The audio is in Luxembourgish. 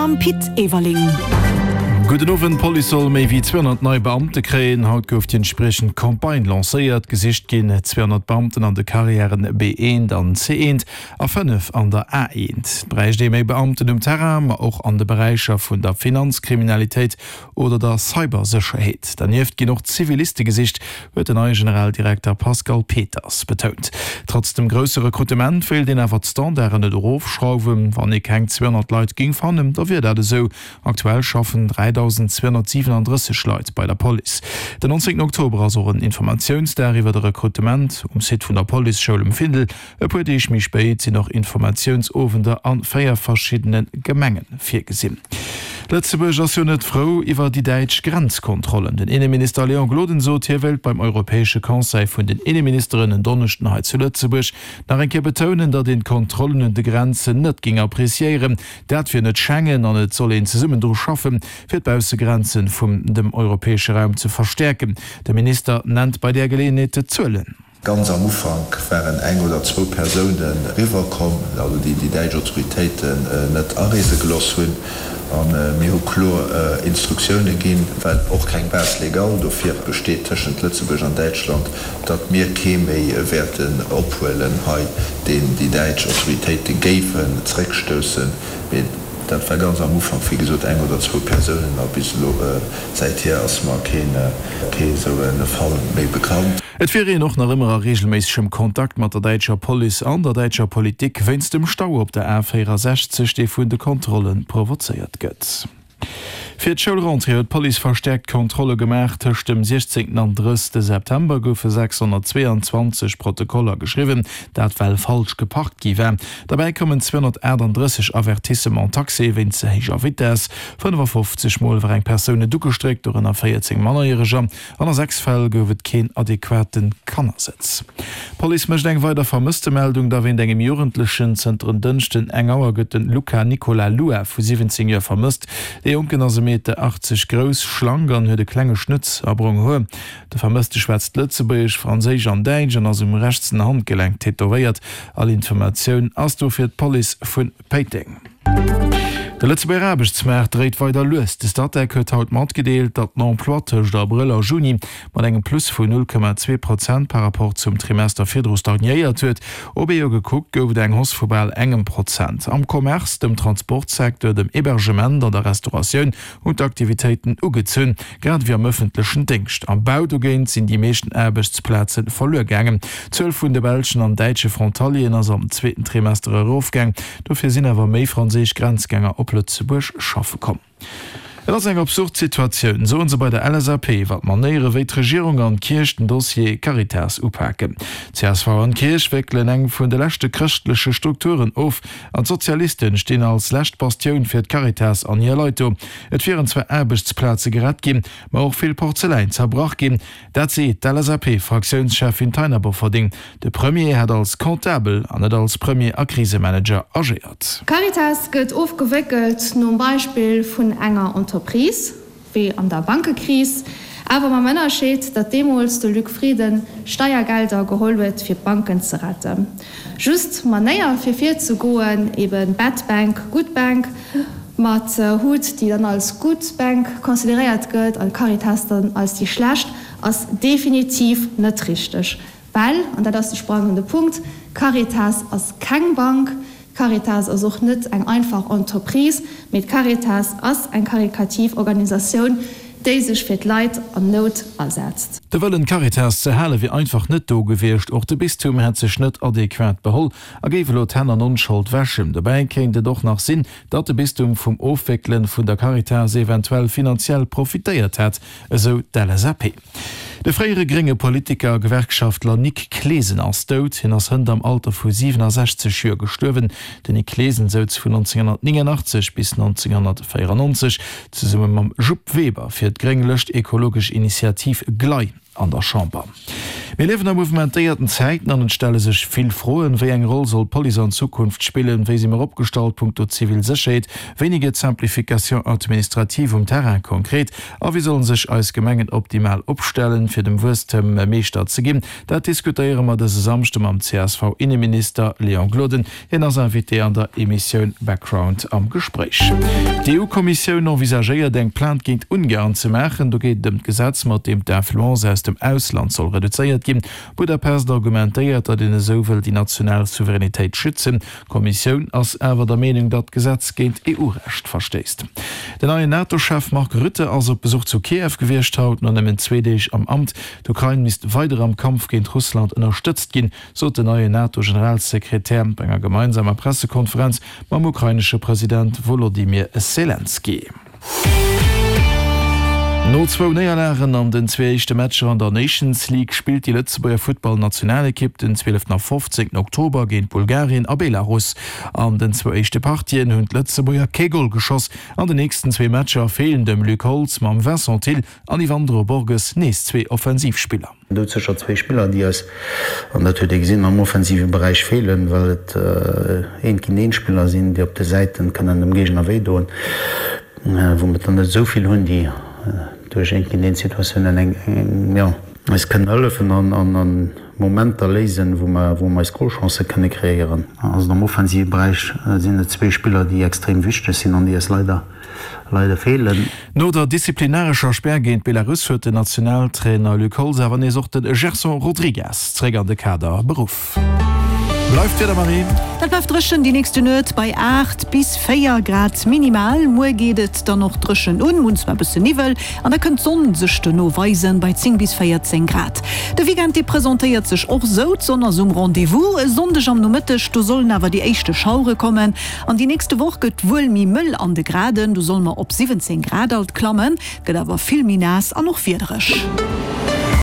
Mam Pit Everling. Gudden Owend, D'Police soll méi wéi 200 nei Beamte kréien. Haut gouf déi entspriechend Campagne lancéiert. Gesicht ginn 200 Beamten an de Carrièren B1 an C1 a 5 an der A1. Et bräicht ee méi Beamten um Terrain, ma och an de Beräicher vun der Finanzkriminalitéit oder der Cybersécherheet. Dernieft ginn och Ziviliste gesicht, huet den neie Generaldirekter Pascal Peters betount. Trotz dem grousse Rekrutement wéilt een awer d'Standarden net erofschrauwen. Wann ee keng 200 Leit géing fannen, da wier dat esou. Aktuell schaffen 3.237 Leit bei der Police. Den 19 Oktober ass och en Informatiounsdag iwwer de Rekrutement um Site vun der Policeschoul um Findel. E puer Deeg méi spéit sinn och Informatiounsowender a 4 verschiddene Gemenge virgesinn. Lëtzebuerg ass jo net frou iwwer déi däitsch Grenzkontrollen. Den Inneminister Léon Gloden sot, hie wéilt beim Europäesche Conseil vun den Inneministeren en Donneschden hei zu Lëtzebuerg nach eng Kéier betounen, datt een d'Kontrollen un de Grenzen net géing appreciéieren. Dat wier net Schengen an et soll een zesummen dru schaffen, fir d'Baussegrenze vum dem europäesche Raum ze verstäerken. De Minister nennt bei där Geleeënheet d'Zuelen. Ganz am Ufank waren eng oder zwou Persounen eriwwer komm, also déi déi däitsch Autoritéiten net areese geloss hunn. A mir hu kloer Instruktioune ginn, well och keng Base légale dofir besteet tëschent Lëtzebuerg an Däitschland, datt mir kee méi wäerten ophuelen hei, deen déi däitsch Autoritéite géifen zréckstoussen. Mee dat war ganz am Ufank, wéi gesot, eng oder zwou Persounen a bis elo, säithier ass mer keen esou e Fall méi bekannt. Et wier een och nach ëmmer a reegelméissegem Kontakt mat der däitscher Police an der däitscher Politik wéinst dem Stau op der A 64, dee vun de Kontrolle provozéiert gëtt. Fir d'Schoulrentrée huet d'Police verstäerkt Kontrolle gemaach. Tëscht dem 16 an 30 September goufe 622 Protokoller geschriwwen, dat well falsch geparkt gi war. Derbäi koumen 238 Avertissements taxés wéinst ze héijer Vitess. 55 Mol war eng Persoun net ugestréckt, dorënner 14 Mannerjäreger. An a 6 Fäll gouf et keen adequate Kannersëtz. D'Police mécht eng weider Vermësstemeldung, da wéint engem Jugendlechen. Zënter en Dënschden eng Auer gëtt den Luca Nicola Lua vu 17 Joer vermësst. De Jonken ass e Meter 80 grouss, schlank an huet e klenge Schnëtz a brong Hoer. De Vermësste schwätzt Lëtzebuergesch, Franséisch an Däitsch an ass um rechtsen Handgelenk tätowéiert. All Informatioun ass dofir d'Police vun. Péiteng. De Lëtzebuerger Aarbechtsmaart dréit weider lues. De Statec huet haut matgedeelt, datt den Emploi tëscht Abrëll a Juni mat engem Plus vun 0,2 Prozent par Rapport zum Trimester virdru stagnéiert huet. Op ee Joer gekuckt gouf et eng Hausse vu bal engem Prozent. Am Commerce, dem Transportsecteur, dem Hebergement an der Restauratioun hunn d'Aktivitéiten ugezunn, grad ewéi am ëffentlechen Déngscht. Am Bau dogéint sinn déi meeschten Aarbechtsplaze verluer gaangen. D'Zuel vun de belschen an däitsche Frontalieren ass am zweeten Trimester erofgaang. Dofir sinn awer méi franséisch Grenzgänger op Lëtzebuerg schaffe komm. Et ass eng absurd Situatioun, soen se bei der LSAP iwwer d'Manéiere wéi d'Regierung an d'Kierch den Dossier Caritas upaken. Csv an d'Kierch wéckelen eng vun de leschte chrëschtleche Strukturen of. An d'Sozialisten stinn als lescht Bastioun fir d'Caritas an hir Leit do. Et wieren zwar Aarbechtsplaze gerett ginn, ma och vill Porzeläin zerbrach ginn. Dat seet d'LSAP-Fraktiounscheffin Taina Bofferding. De Premier hätt als Comptabel an net als Premier a Krisemanager agéiert. D'Caritas gëtt ofgewéckelt nom Beispill vun enger Entreprise. Wéi an der Bankekris, awer mam Ënnerscheed, datt deemools de Luc Frieden Steiergelder geholl huet fir d'Banken ze retten. Just d'Manéier fir virzegoen, eben bad bank, good bank, mat hut déi dann als good bank consideréiert gëtt an d'Caritas dann als déi schlecht, ass definitiv net richteg. Well, an dat ass de sprangende Punkt, d'Caritas ass keng Bank, d'Caritas ass och net eng einfach Entreprise, mee d'Caritas ass eng karikativ Organisatioun, déi sech fir d'Leit an Nout asetzt. De Wëllen, d'Caritas ze hale wier einfach net do gewiescht. Och de Bistum hätt sech net adequat beholl a géif elo d'Hänn an Onschold wäschen. Dobäi kéint et och nach sinn, datt de Bistum vum Ofwéckelen vun der Caritas eventuell finanziell profitéiert hätt, esou d'LSAP. De fréiere grénge Politiker a Gewerkschaftler Nick Clesen ass dout. Hien ass hënt am Alter vu 67 Joer gestuerwen. Den Nick Clesen souz vun 1989 bis 1994 zesumme mam Jupp Weber fir d'gréng Lëscht Ekologesch Initiativ, GLEI, an der Chamber. Mir liewen a mouvementéierten Zäiten an et stelle sech vill Froen. Wéi eng Roll soll d'Police an Zukunft spillen? Wéi si mer opgestallt punkto zivil Sécherheet? Wéini geet d'Simplification administrative um Terrain konkret? A wéi sollen sech eis Gemengen optimal opstellen, fir dem Wuesstem Meeschter ze ginn? Dat diskutéiere mer dëse Samschde mam CSV-Inneminister Léon Gloden. Hien ass Invité an der Emissioun Background am Gespréich. D'EU-Kommissioun envisagéiert eng Plainte géint Ungarn ze maachen. Do geet et ëm d'Gesetz, mat deem d'Influence aus dem Ausland soll reduzéiert ginn. Budapest argumentéiert, datt een esou wëll déi national Souveränitéit schützen. D'Kommissioun ass awer der Meenung, datt d'Gesetz géint EU-Recht verstéisst. Den neien NATO-Chef Mark Rutte ass op Besuch zu Kiew gewiescht haut, no nëmmen zwee Deeg am Amt. D'Ukrain misst weider am Kampf géint Russland ënnerstëtzt ginn, sot den neien NATO-Generalsekretär bei enger gemeinsamer Pressekonferenz mam ukrainesche President Wolodymyr Selenskyj. No zwou Néierlagen an den zwee éischte Matcher an der Nations League spillt déi Lëtzebuerger Futtballnationalekipp den 12 a 15 Oktober géint Bulgarien a Belarus. An den zwou éischte Partien hunn d'Lëtzebuerger kee Gol geschoss. An den nächsten zwee Matcher feelen dem Luc Holtz mam Vincent Thill an Yvandro Borges nees zwee Offensivspiller. Do sécher zwéi Spiller, déi eis, an dat huet ee gesinn, am offensive Beräich feelen, well et Eent-géint-eent-Spiller sinn, déi op de Säiten kënnen dem Géigner wéi doen, wou mer der net esou vill hunn, déi duerch Eent-géint-eent-Situatiounen eng, jo, eis kënnen hëllefen an an Momenter léisen, wou mer, wou mer eis Golchancë kënne kreéieren. Also am offensive Beräich sinn et zwee Spiller, déi extrem wichteg sinn an déi eis leider leider feelen. No der disziplinarescher Spär géint Belarus huet den Nationaltrainer Luc Holtz awer nees och de Gerson Rodrigues zeréck an de Kader beruff. Bleift d'Wieder, Marie? Et bleift dréchen déi nächste Nuet bei 8 bis 4 Grad minimal. Muer geet et dann och dréchen un, hunn zwar bësse Niwwel an da kënnt d'Sonn sech dono weisen bei 10 bis 14 Grad. De Weekend dee presentéiert sech och sou, d'Sonn ass um Rendez-vous. E Sonndeg am Nomëtteg, do sollen awer déi éischte Schauere kommen. An déi nächste Woch gëtt wuel méi mëll an de Graden, do solle mer op 17 Grad alt klammen, gëtt awer vill méi naass an och wiedereg.